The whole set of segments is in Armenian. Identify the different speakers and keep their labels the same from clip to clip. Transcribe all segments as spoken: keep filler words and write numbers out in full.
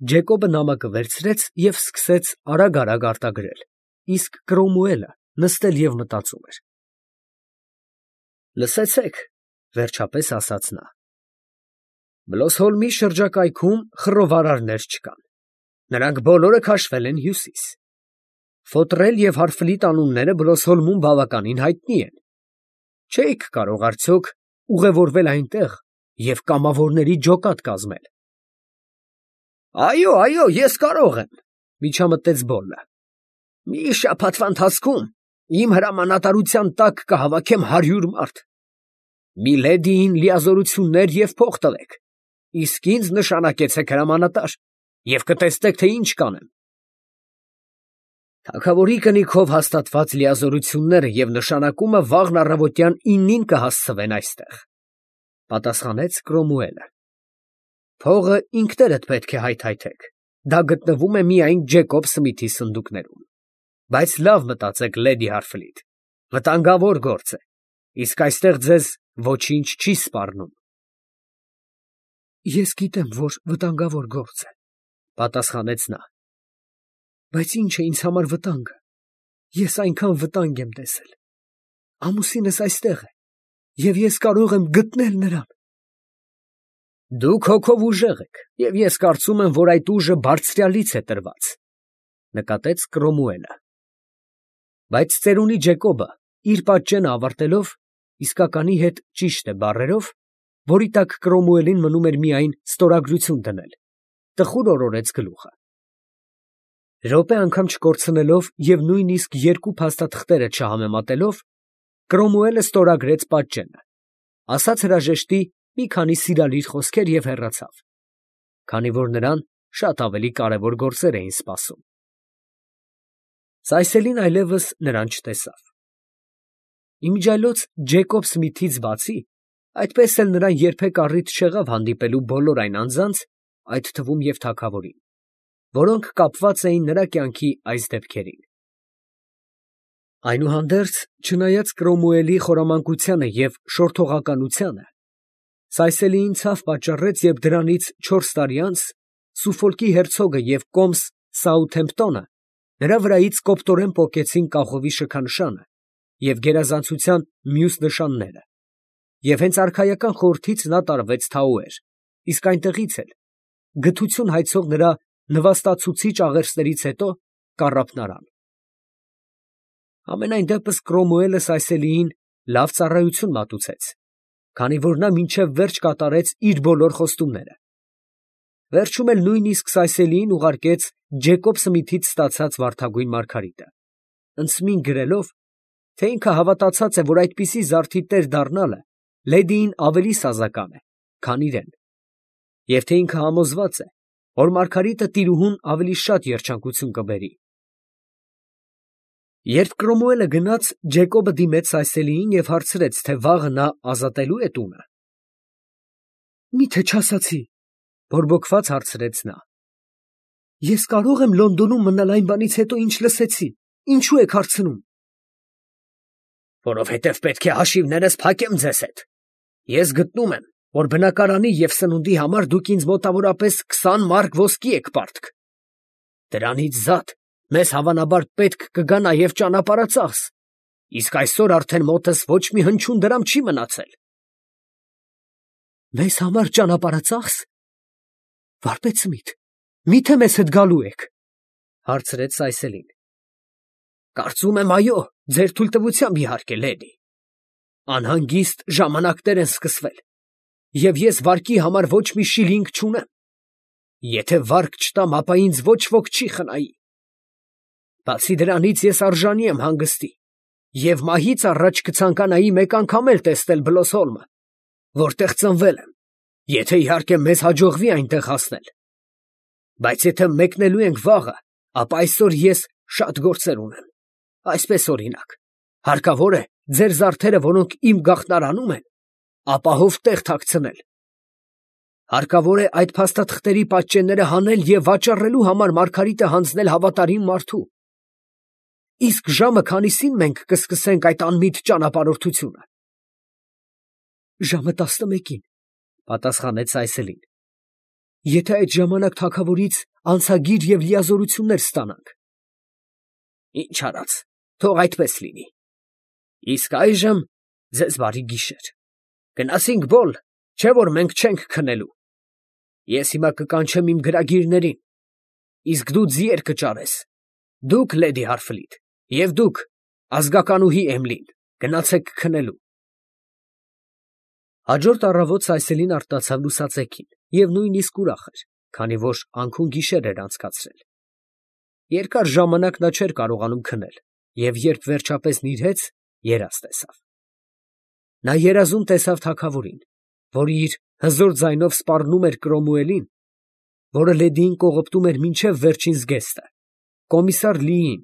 Speaker 1: Ջեկոբը նամակը վերցրեց և սկսեց արագ֊արագ արտագրել, իսկ Կրոմուելը նստել և մտածում էր։ «Լսեցե՛ք, ֊ վերջապես ասաց նա. Բլոսհոլմի շրջակայքում խռովարարներ չկան. նրանք բոլորը քաշվել են հյուսիս. Ֆոտրել և Հարֆլիտ անունները Բլոսհոլմում բավականին հայտնի են. չէիք կարող արդյոք ուղևորվել այնտեղ և կամավորների ջոկատ կազմել։ ֊ Այո, այո, ես կարող եմ, ֊ միջամտեց Բոլլը. մի շաբաթվա ընթացքում իմ հրամանատարության տակ կհավաքեմ հարյուր մարդ. մի լեդիին լիազորություններ և փող տվեք, իսկ ինձ նշանակեցեք հրամանատար և կտեսնեք, թե ինչ կանեմ։ Թագավորի կնիքով հաստատված լիազորությունները և նշանակումը վաղն առավոտյան իննին կհասցվեն այստեղ, ֊ պատասխանեց Կրոմուելը։ Փողը ինքներդ պետք է հայթայթեք, դա գտնվում է միայն Ջեկոբ Սմիթի սնդուկներում, բայց լավ մտածեք, լեդի Հարֆլիտ, վտանգավոր գործ է, իսկ այստեղ ձեզ ոչինչ չի սպառնում։ ֊ Ես գիտեմ, որ վտանգավոր գործ է, ֊ պատասխանեց նա, ֊ բայց ի՞նչ է ինձ համար վտանգը, ես այնքան վտանգ եմ տեսել. ամուսինս այստեղ է, և ես կարող եմ գտնել նրան։ ֊ Դուք հոգով ուժեղ եք, և ես կարծում եմ, որ այդ ուժը Բարձրյալից է տրված, ֊ նկատեց Կրոմուելը։ Բայց ծերունի Ջեկոբը, իր պատճենը ավարտելով, իսկականի հետ ճիշտ է բառերով, որի տակ Կրոմուելին մնում էր միայն ստորագրություն դնել, տխուր օրորեց գլուխը։ Րոպե անգամ չկորցնելով և նույնիսկ երկու փաստաթղթերը չհամեմատելով, Կրոմուելը ստորագրեց պատճենը, ասաց հրաժեշտի մի քանի սիրալիր խոսքեր և հեռացավ, քանի որ նրան շատ ավելի կարևոր գործեր էին սպասում։ Սայսելին այլևս նրան չտեսավ։ Իմիջիայլոց Ջեկոբ Սմիթից բացի, այդպես էլ նրան երբեք առիթ չեղավ հանդիպելու բոլոր այն անձանց, այդ թվում և թագավորին, որոնք կապված էին նրա կյանքի այս դեպքերին։ Այնուհանդերձ, չնայած Կրոմուելի խորամանկությանը և շորթողականությանը, Սայսելիին ցավ պատճառեց, երբ դրանից չորս տարի անց Սուֆոլկի հերցոգը և կոմս Սաութհեմփտոնը նրա վրայից կոպտորեն պոկեցին կախովի շքանշանը և գերազանցության մյուս նշանները, և հենց արքայական խորհրդից նա տարվեց Թաուեր, իսկ այնտեղից էլ, գթություն հայցող նրա նվաստացուցիչ աղերսներից հետո, կառափնարան։ Համենայն դեպս Կրոմուելը Սայսելիին լավ ծառայություն մատուցեց, քանի որ նա մինչև վերջ կատարեց իր բոլոր խոստումները։ Վերջում էլ նույնիսկ Սայսելիին ուղարկեց Ջեկոբ Սմիթից ստացած վարդագույն մարգարիտը, ընդսմին գրելով, թե ինքը հավատացած է, որ այդպիսի զարդի տեր դառնալը լեդիին ավելի սազական է, քան իրեն, և թե ինքը համոզված է, որ մարգարիտը տիրուհուն ավելի շատ երջանկություն կբերի։ Երբ Կրոմուելը գնաց, Ջեկոբը դիմեց Սայսելիին և հարցրեց, թե վաղը նա ազատելո՞ւ է տունը։ ֊ Մի՞թե չասացի, ֊ բորբոքված հարցրեց նա. ես կարո՞ղ եմ Լոնդոնում մնալ այն բանից հետո, ինչ լսեցի, ինչո՞ւ եք հարցնում։ ֊ Որովհետև պետք է հաշիվներս փակեմ ձեզ հետ. ես գտնում եմ, որ բնակարանի և սնունդի համար դուք ինձ մոտավորապես քսան մարկ ոսկի եք պարտք. դրանից զատ մեզ հավանաբար պետք կգա նաև ճանապարհածախս, իսկ այսօր արդեն մոտս ոչ մի հնչյուն դրամ չի մնացել։ ֊ Մեզ համար ճանապարհածախս, վարպետ Սմիթ, մի՞թե մեզ հետ գալու եք, ֊ հարցրեց Սայսելին։ ֊ Կարծում եմ, այո, ձեր թույլտվությամբ, իհարկե, լեդի. անհանգիստ ժամանակներ են սկսվել, և ես վարկի համար ոչ մի շիլինգ չունեմ. եթե վարկ չտամ, ապա ինձ ոչ ոք չի խնայի։ Բացի դրանից, ես արժանի եմ հանգստի և մահից առաջ կցանկանայի մեկ անգամ էլ տեսնել Բլոսհոլմը, որտեղ ծնվել եմ, եթե իհարկե մեզ հաջողվի այնտեղ հասնել։ Բայց եթե մեկնելու ենք վաղը, ապա այսօր ես շատ գործեր ունեմ. այսպես, օրինակ, հարկավոր է ձեր զարդերը, որոնք իմ գաղտնարանում են, ապահով տեղ թաքցնել. հարկավոր է այդ փաստաթղթերի պատճենները հանել և վաճառելու համար մարգարիտը հանձնել հավատարիմ մարդու։ Իսկ ժամը քանիսին մենք կսկսենք այդ անմիտ ճանապարհորդությունը։ ֊ Ժամը տասնմեկին, ֊ պատասխանեց Սայսելին։ ֊ Եթե այդ ժամանակ թագավորից անցագիր և լիազորություններ ստանանք։ Ինչ արած, թող այդպես լինի։ Իսկ այժմ ձեզ բարի գիշեր. գնացինք Բոլ, չէ՞ որ մենք չենք քնելու։ Ես հիմա կկանչեմ իմ գրագիրներին, իսկ դու ձիեր կճարես, դուք լեդի Հարֆլիտ, և դուք ազգականուհի Էմլին, գնացեք քնելու։ Հաջորդ առավոտ Սայսելին արթնացավ լուսածեքին և նույնիսկ ուրախ էր, քանի որ անքուն գիշեր էր անցկացրել։ Երկար ժամանակ նա չէր կարողանում քնել և երբ վերջապես նիրհեց, երազ տեսավ։ Նա երազում տեսավ թագավորին, որը իր հզոր ձայնով սպառնում էր Կրոմուելին, որը լեդիին կողոպտում էր մինչև վերջին զգեստը, կոմիսար Լիին,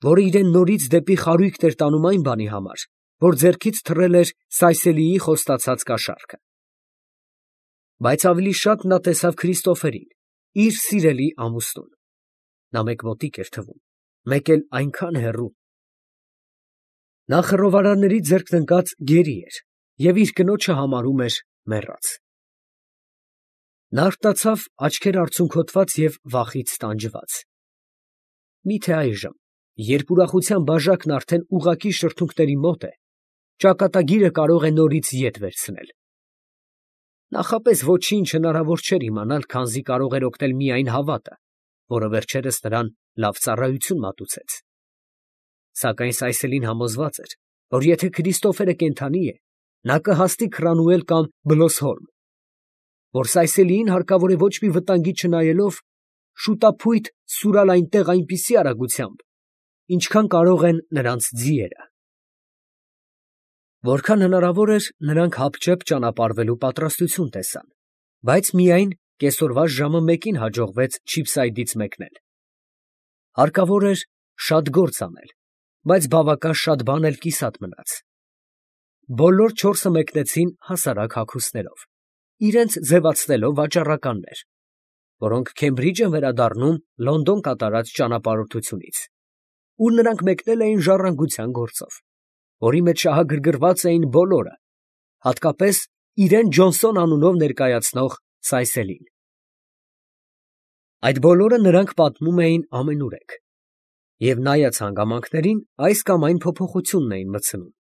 Speaker 1: որը իրեն նորից դեպի խարույկն էր տանում այն բանի համար, որ ձեռքից թռել էր Սայսելիի խոստացած կաշառքը։ Բայց ավելի շատ նա տեսավ Քրիստոֆերին, իր սիրելի ամուսնուն։ Նա մեկ մոտիկ էր թվում, մեկ էլ այնքան հեռու։ Նա խռովարարների ձեռքն ընկած գերի էր և իր կնոջը համարում էր մեռած։ Նա արթնացավ աչքեր արցունքոտված և վախից տանջված։ Մի՞թե այժմ, երբ ուրախության բաժակն արդեն ուղղակի շրթունքների մոտ է, ճակատագիրը կարող է նորից ետ վերցնել։ Նախապես ոչինչ հնարավոր չէր իմանալ, քանզի կարող էր օգնել միայն հավատը, որը վերջերս նրան լավ ծառայություն մատուցեց։ Սակայն Սայսելին համոզված էր, որ եթե Քրիստոֆերը կենդանի է, նա կհասնի Քրանուել կամ Բլոսհոլմ, որ Սայսելիին հարկավոր է ոչ մի վտանգի չնայելով շուտափույթ սուրալ այնտեղ այնպիսի արագությամբ, ինչքան կարող են նրանց ձիերը։ Որքան հնարավոր էր, նրանք հապճեպ ճանապարհվելու պատրաստություն տեսան, բայց միայն կեսօրվա ժամը մեկին հաջողվեց Չիփսայդից մեկնել։ Հարկավոր էր շատ գործ անել, բայց բավական շատ բան էլ կիսատ մնաց։ Բոլոր չորսը մեկնեցին հասարակ հագուստներով, իրենց ձևացնելով վաճառականներ, որոնք Քեմբրիջ են վերադառնում Լոնդոն կատարած ճանապարհորդությունից, ուր նրանք մեկնել էին ժառանգության գործով, որի մեջ շահագրգռված էին բոլորը, հատկապես իրեն Ջոնսոն անունով ներկայացնող Սայսելին։ Այդ բոլորը նրանք պատմում էին ամենուրեք, և նայած հանգամանքներին, այս կամ այն փոփոխությունն էին մտցնում։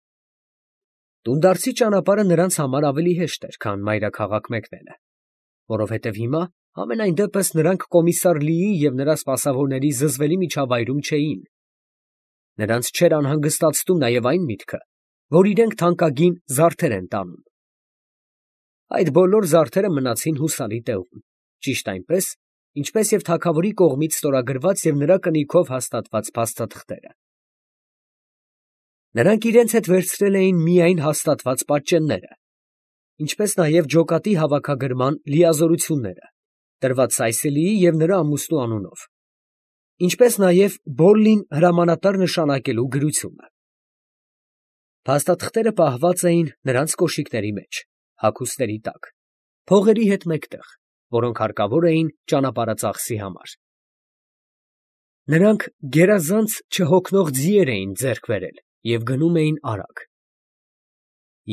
Speaker 1: Տունդարձի ճանապարհը նրանց համար ավելի հեշտ էր, քան մայրաքաղաք մեկնելը, որովհետև հիմա համենայն դեպս նրանք կոմիսար Լիի և նրա սպասավորների զզվելի միջավայրում չէին։ Նրանց չէր անհանգստացնում նաև այն միտքը, որ իրենք թանկագին զարդեր են տանում։ Այդ բոլոր զարդերը մնացին հուսալի տեղում, ճիշտ այնպես, ինչպես և թագավորի կողմից ստորագրված և նրա կնիքով հաստատված փաստաթղթերը։ Նրանք իրենց հետ վերցրել էին միայն հաստատված պատճենները, ինչպես նաև ջոկատի հավաքագրման լիազորությունները, տրված Սայսելիի և նրա ամուսնու անունով, ինչպես նաև Բոլլին հրամանատար նշանակելու գրությունը։ Փաստաթղթերը պահված էին նրանց կոշիկների մեջ, հագուստների տակ, փողերի հետ մեկտեղ, որոնք հարկավոր էին ճանապարհածախսի համար։ Նրանք գերազանց չհոգնող ձիեր էին ձեռք բերել և գնում էին արագ։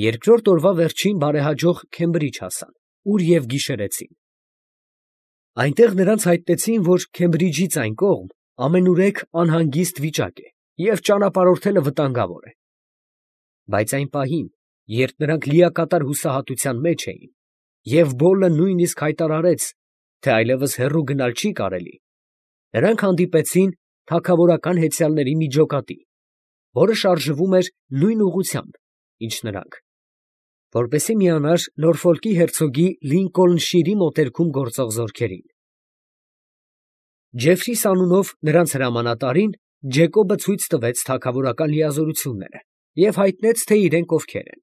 Speaker 1: Երկրորդ օրվա վերջին բարեհաջող Քեմբրիջ հասան, ուր և գիշերեցին։ Այնտեղ նրանց հայտնեցին, որ Քեմբրիջից այն կողմ ամենուրեք անհանգիստ վիճակ է և ճանապարհորդելը վտանգավոր է։ Բայց այն պահին, երբ նրանք լիակատար հուսահատության մեջ էին, և Բոլլը նույնիսկ հայտարարեց, թե այլևս հեռու գնալ չի կարելի, նրանք հանդիպեցին թագավորական հեծյալների մի ջոկատի, որը շարժվում էր նույն ուղղությամբ, ինչ նրանք, որպեսզի միանար Նորֆոլկի հերցոգի Լինկոլնշիրի մոտերքում գործող զորքերին։ Ջեֆրիս անունով նրանց հրամանատարին Ջեկոբը ցույց տվեց թագավորական լիազորությունները և հայտնեց, թե իրենք ովքեր են։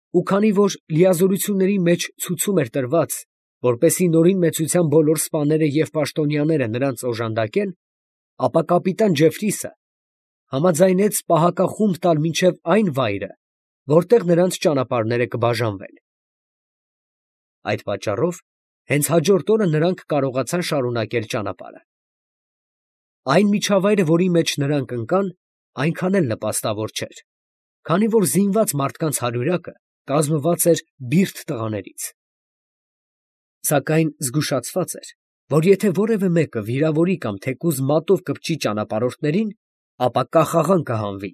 Speaker 1: Ու քանի որ լիազորությունների մեջ ցուցում էր տրված, որպեսզի նորին մեծության բոլոր սպաները և պաշտոնյաները նրանց օժանդակեն, ապա կապիտան Ջեֆրիսը համաձայնեց պահակախումբ տալ մինչև այն վայրը, որտեղ նրանց ճանապարհները կբաժանվեն։ Այդ պատճառով հենց հաջորդ օրը նրանք կարողացան շարունակել ճանապարհը։ Այն միջավայրը, որի մեջ նրանք ընկան, այնքան էլ նպաստավոր չէր, քանի որ զինված մարդկանց հարյուրակը կազմված էր բիրտ տղաներից։ Սակայն զգուշացված էր, որ եթե որևէ մեկը վիրավորի կամ թեկուզ մատով կպչի ճանապարհորդներին, ապա կախաղան կհանվի։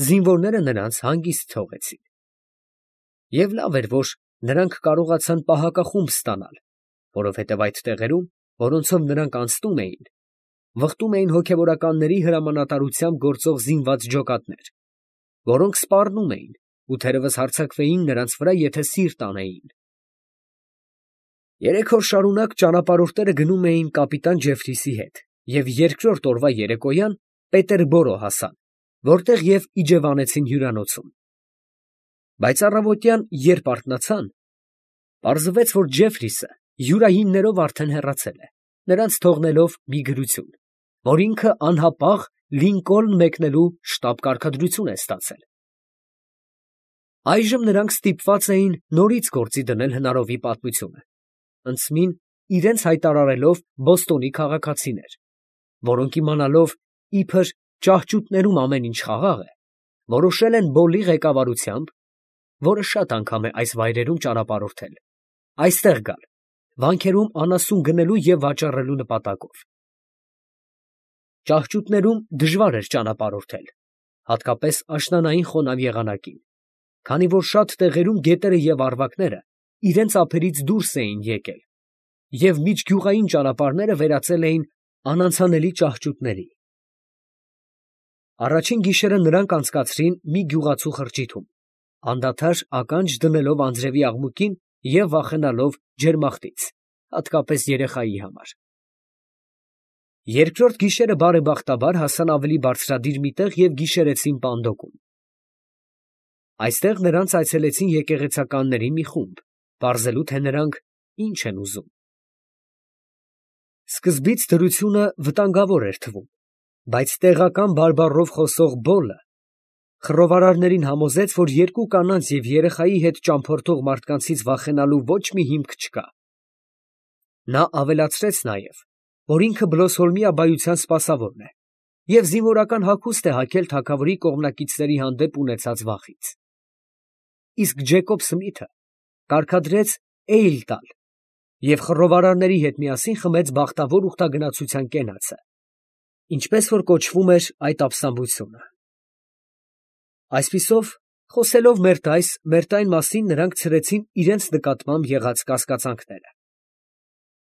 Speaker 1: Զինվորները նրանց հանգիստ թողեցին։ Եվ լավ էր, որ նրանք կարողացան պահակախումբ ստանալ, որովհետև այդ տեղերում, որոնցով նրանք անցնում էին, վխտում էին հոգևորականների հրամանատարությամբ գործող զինված ջոկատներ, որոնք սպառնում էին ու թերևս հարձակվեին նրանց վրա, եթե սիրտ անեին։ Երեք օր շարունակ ճանապարհորդները գնում էին կապիտան Ջեֆրիսի հետ և երկրորդ օրվա երեկոյան Պետերբորո հասան, որտեղ և իջևանեցին հյուրանոցում։ Բայց առավոտյան, երբ արթնացան, պարզվեց, որ Ջեֆրիսը յուրայիններով արդեն հեռացել է, նրանց թողնելով մի գրություն, որ ինքը անհապաղ Լինկոլն մեկնելու շտապ կարգադրություն է ստացել։ Այժմ նրանք ստիպված էին նորից գործի դնել հնարովի պատմությունը, ընդսմին իրենց հայտարարելով Բոստոնի քաղաքացիներ, որոնք իմանալով իբր ճահճուտներում ամեն ինչ խաղաղ է, որոշել են Բոլլի ղեկավարությամբ, որը շատ անգամ է այս վայրերում ճանապարհորդել, այստեղ գալ, վանքերում անասուն գնելու և վաճառելու նպատակով։ Ճահճուտներում դժվար էր ճանապարհորդել, հատկապես աշնանային խոնավ եղանակին, քանի որ շատ տեղերում գետերը և առվակները իրենց ափերից դուրս էին եկել, և միջգյուղային ճանապարհները վերածել էին անանցանելի ճահճուտների։ Առաջին գիշերը նրանք անցկացրին մի գյուղացու խրճիթում, անդադար ականջ դնելով անձրևի աղմուկին և վախենալով ջերմախտից, հատկապես երեխայի համար։ Երկրորդ գիշերը բարեբախտաբար հասան ավելի բարձրադիր մի տեղ և գիշերեցին Պանդոկում։ Այստեղ նրանց այցելեցին եկեղեցականների մի խումբ, պարզելու, թե նրանք ինչ են ուզում։ Սկզբից դրությունը վտանգավոր էր թվում, բայց տեղական բարբառով խոսող Բոլլը խռովարարներին համոզեց, որ երկու կանանց և երեխայի հետ ճամփորդող մարդկանցից վախենալու ոչ մի հիմք չկա։ Նա ավելացրեց նաև, որ ինքը Բլոսհոլմի աբբայության սպասավորն է և զինվորական հագուստ է հագել թագավորի կողմնակիցների հանդեպ ունեցած վախից։ Իսկ Ջեկոբ Սմիթը կարգադրեց էյլ տալ և խռովարարների հետ միասին խմեց բախտավոր ուխտագնացության կենացը, ինչպես որ կոչվում էր այդ ապստամբությունը։ Այսպիսով, խոսելով մերթ այս, մերթ այն մասին, նրանք ցրեցին իրենց նկատմամբ եղած կասկածանքները։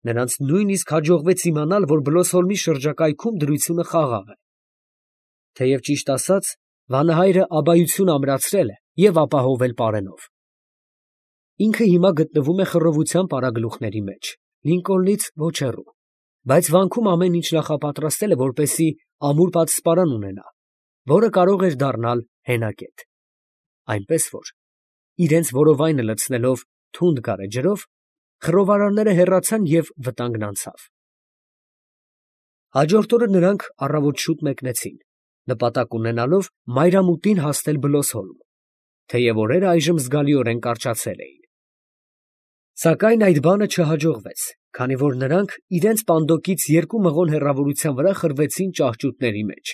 Speaker 1: Նրանց նույնիսկ հաջողվեց իմանալ, որ Բլոսհոլմի շրջակայքում դրությունը խաղաղ է։ Թեև ճիշտ ասած, վանահայրը աբբայություն ամրացրել է և ապահովել պարենով։ Ինքը հիմա գտնվում է խռովության պարագլուխների մեջ, Լինկոլնից ոչ հեռու, բայց վանքում ամեն ինչ նախապատրաստել է, որպեսզի ամուր պատսպարան ունենա, որը կարող էր դառնալ հենակետ։ Այնպես որ, իրենց որովայնը լցնելով թունդ գարեջրով, խռովարարները հեռացան և վտանգն անցավ։ Հաջորդ օրը նրանք առավոտ շուտ մեկնեցին, նպատակ ունենալով մայրամուտին հասնել Բլոսհոլմ, թեև օրերը այժմ զգալիորեն կարճացել էին։ Սակայն այդ բանը չհաջողվեց, քանի որ նրանք իրենց Պանդոկից երկու մղոն հեռավորության վրա խրվեցին ճահճուտների մեջ։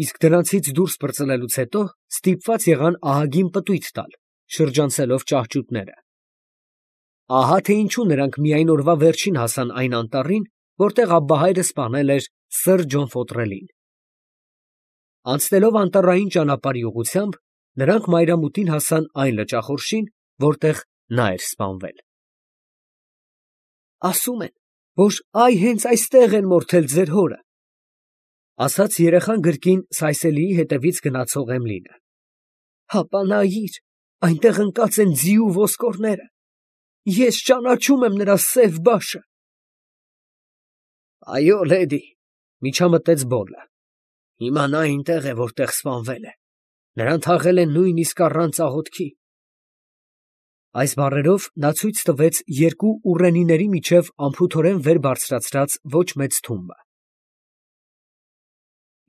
Speaker 1: Իսկ դրանցից դուրս պրծլելուց հետո ստիպված եղան ահագին պտույտ տալ, շրջանցելով ճահճուտները։ Ահա թե ինչու նրանք միայն օրվա վերջին հասան այն անտառին, որտեղ Աբբահայրը սպանել էր սըր Ջոն Ֆոտրելին։ Անցնելով անտառային ճանապարհի ուղղությամբ, նրանք մայրամուտին հասան այն լճախորշին, որտեղ նա էր սպանվել։ «Ասում են, որ այ հենց այստեղ են մորթել ձեր հորը», ֊ ասաց երեխան գրկին Սայսելիի հետևից գնացող Էմլինը։ ֊ Հապա նայիր, այնտեղ ընկած են ձի ու ոսկորները. ես ճանաչում եմ նրա սև բաշը։ ֊ Այո, լեդի, ֊ միջամտեց Բոլլը, ֊ հիմա նա այնտեղ է, որտեղ սպանվել է. նրան թաղել են նույնիսկ առանց աղոթքի։ Այս բառերով նա ցույց տվեց երկու ուռենիների միջև անփութորեն վեր բարձրացրած ոչ մեծ թումբը։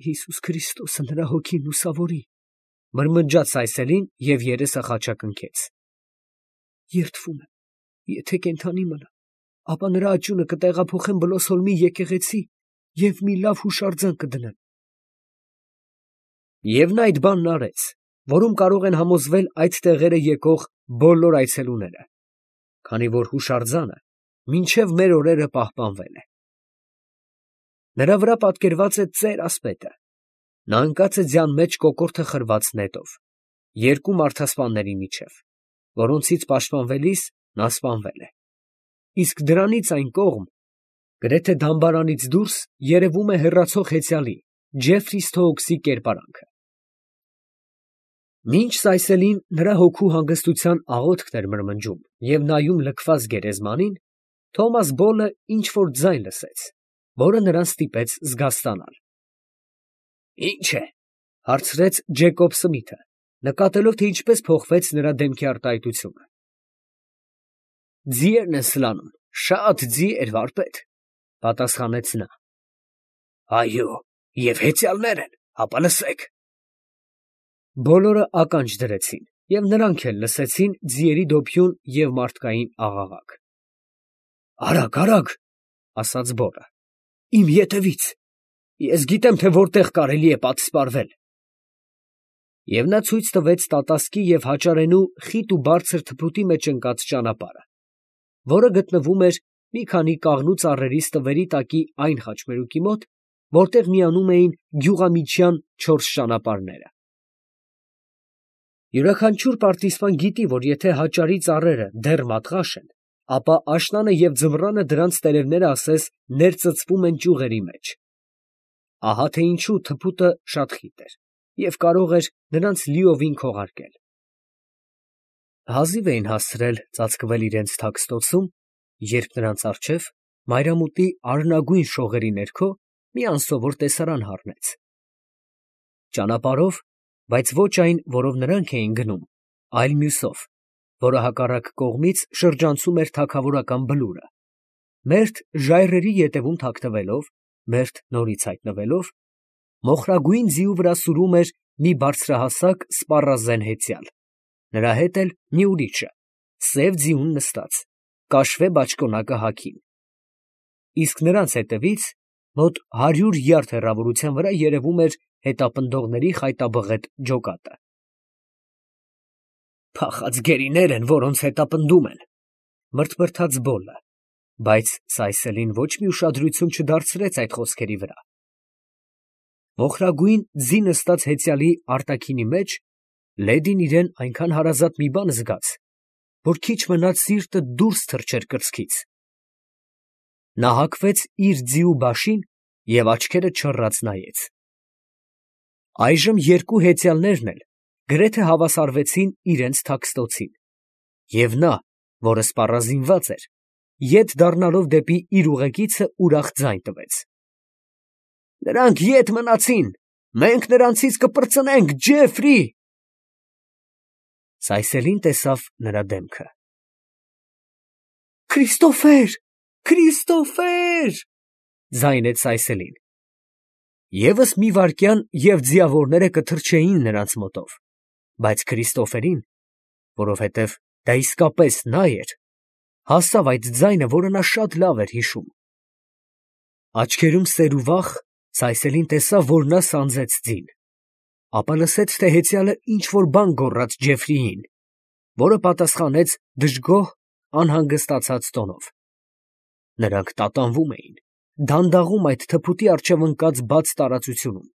Speaker 1: «Հիսուս Քրիստոսը նրա հոգին լուսավորի», ֊ մրմնջաց Սայսելին և երեսը խաչակնքեց։ «Երդվում եմ, եթե կենդանի մնա, ապա նրա աճյունը կտեղափոխեմ Բլոսհոլմի եկեղեցի և մի լավ հուշարձան կդնեմ»։ Եվ նա այդ բանն արեց, որում կարող են համոզվել այդ տեղերը եկող բոլոր այցելուները, քանի որ հուշարձանը մինչև մեր օրերը պահպանվել է։ Նրա վրա պատկերված է ծեր ասպետը, նա ընկած է ձյան մեջ կոկորդը խրված նետով, երկու մարդասպանների միջև, որոնցից պաշտպանվելիս նա սպանվել է, իսկ դրանից այն կողմ, գրեթե դամբարանից դուրս երևում է հեռացող հեծյալի Ջեֆրի Սթոուքսի կերպարանքը։ Մինչ Սայսելին նրա հոգու հանգստության աղոթքն էր մրմնջում և նայում լքված գերեզմանին, Թոմաս Բոլը ինչ֊որ ձայն լսեց, որը նրան ստիպեց զգաստանալ։ ֊ Ի՞նչ է, ֊ հարցրեց Ջեկոբ Սմիթը, նկատելով, թե ինչպես փոխվեց նրա դեմքի արտահայտությունը։ ֊ Ձիերն են սլանում, շատ ձիեր, վարպետ, ֊ պատասխանեց նա։ ֊ Այո, և հեծյալներ են, հապա լսեք։ Բոլորը ականջ դրեցին, և նրանք էլ լսեցին ձիերի դոփյուն և մարդկային աղաղակ։ ֊ Արագ, արագ, ֊ ասաց Բոլը, ֊ իմ ետևից, ես գիտեմ, թե որտեղ կարելի է պատսպարվել։ Եվ նա ցույց տվեց տատասկի և հաճարենու խիտ ու բարձր թփուտի մեջ ընկած ճանապարհը, որը գտնվում էր մի քանի կաղնու ծառերի ստվերի տակի այն խաչմերուկի մոտ, որտեղ միանում էին գյուղամիջյան չորս ճանապարհները։ Յուրաքանչյուր պարտիզպան գիտի, որ եթե հաճարի ծառերը դեռ մատղաշ են, ապա աշնանը և ձմռանը դրանց տերևները ասես ներծծվում են ճյուղերի մեջ։ Ահա թե ինչու թփուտը շատ խիտ էր և կարող էր նրանց լիովին քողարկել։ Հազիվ էին հասցրել ծածկվել իրենց թաքստոցում, երբ նրանց առջև, մայրամուտի արնագույն շողերի ներքո, մի անսովոր տեսարան հառնեց։ Ճանապարհով, բայց ոչ այն, որով նրանք էին գնում, այլ մյուսով, որը հակառակ կողմից շրջանցում էր թագավորական բլուրը, մերթ ժայռերի ետևում թաքնվելով, մերթ նորից հայտնվելով, մոխրագույն ձիու վրա սուրում էր մի բարձրահասակ սպառազեն հեծյալ, նրա հետ էլ մի ուրիշը, սև ձիուն նստած, կաշվե բաճկոնակը հագին, իսկ նրանց ետևից, մոտ հարյուր յարդ հեռավորության վրա երևում էր հետապնդողների խայտաբղետ ջոկատը։ «Փախած գերիներ են, որոնց հետապնդում են, ֊ մրթմրթաց Բոլը, բայց Սայսելին ոչ մի ուշադրություն չդարձրեց այդ խոսքերի վրա։ Մոխրագույն ձի նստած հեծյալի արտաքինի մեջ լեդին իրան այնքան հարազատ մի բան զգաց, որ քիչ մնաց սիրտը դուրս թռչեր կրծքից։ Նա հագվեց իր ձիու բաշին և աչքերը չռած նայեց։ Այժմ երկու հեծյալներն էլ գրեթե հավասարվեցին իրենց թաքստոցին, և նա, որը սպառազինված էր, ետ դառնալով դեպի իր ուղեկիցը, ուրախ ձայն տվեց. «Նրանք ետ մնացին, մենք նրանցից կպրծնենք, Ջեֆրի»։ Սայսելին տեսավ նրա դեմքը։ «Քրիստոֆեր, Քրիստոֆեր, ֊ ձայնեց Սայսելին։ Եվս մի վայրկյան, և ձիավորները կթռչեին նրանց մոտով, բայց Քրիստոֆերին, որովհետև դա իսկապես նա էր, հասավ այդ ձայնը, որը նա շատ լավ էր հիշում։ Աչքերում սեր ու վախ Սայսելին տեսավ, որ նա սանձեց ձին, ապա լսեց, թե հեծյալը ինչ֊որ բան գոռաց Ջեֆրիին, որը պատասխանեց դժգոհ, անհանգստացած տոնով։ Նրանք տատանվում էին, դանդաղում այդ թփուտի առջև ընկած բաց տարածությունում։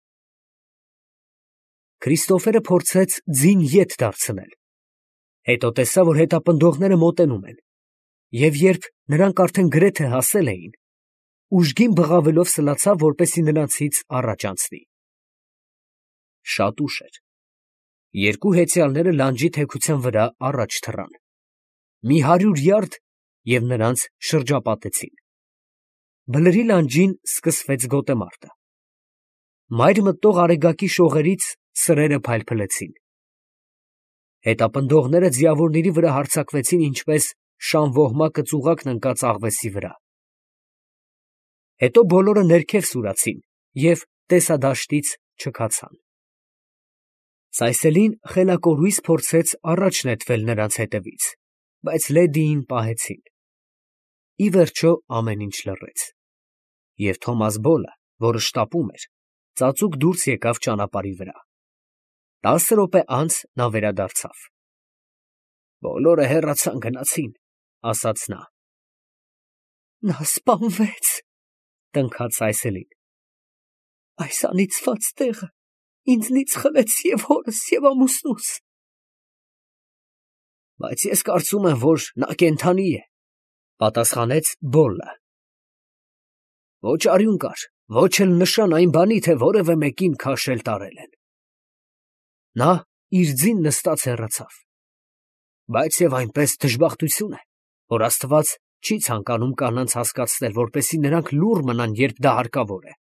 Speaker 1: Քրիստոֆերը փորձեց ձին ետ դարձնել, հետո տեսավ, որ հետապնդողները մոտենում են, և երբ նրանք արդեն գրեթե հասել էին, ուժգին բղավելով սլացավ, որպեսզի նրանցից առաջ անցնի։ Շատ ուշ էր։ Երկու հեծյալները լանջի թեքության վրա առաջ թռան, մի հարյուր յարդ, և նրանց շրջապատեցին։ Բլրի լանջին սկսվեց գոտեմարտը։ Մայր մտնող արեգակի շողերից սրերը փայլփլեցին։ Հետապնդողները ձիավորների վրա հարձակվեցին ինչպես շանվոհմակը ծուղակն ընկած աղվեսի վրա։ Հետո բոլորը ներքև սուրացին և տեսադաշտից չքացան։ Սայսելին խելակորույս փորձեց առաջ նետվել նրանց հետևից, բայց լեդիին պահեցին։ Ի վերջո ամեն ինչ լռեց, և Թոմաս Բոլը, որը շտապում էր, ծածուկ դուրս եկավ ճանապարհի վրա։ Տասը րոպե անց նա վերադարձավ։ ֊ Բոլորը հեռացան, գնացին, ֊ ասաց նա։ Նա սպանվեց, տնքաց Այսելին։ Այս անիծված տեղը ինձնից խլեց և հորս, և ամուսնուս։ Բայց ես կարծում եմ, որ նա կենդանի է, պատասխանեց Բոլլը։ Ոչ արյուն կար, ոչ էլ նշան այն բանի, թե որևէ մեկին քաշել տարել են։ Նա իր ձին նստած հեռացավ։ Բայց և այնպես դժբախտություն է, որ Աստված չի ցանկանում կանանց հասկացնել, որպեսզի նրանք լուռ մնան, երբ դա հարկավոր է։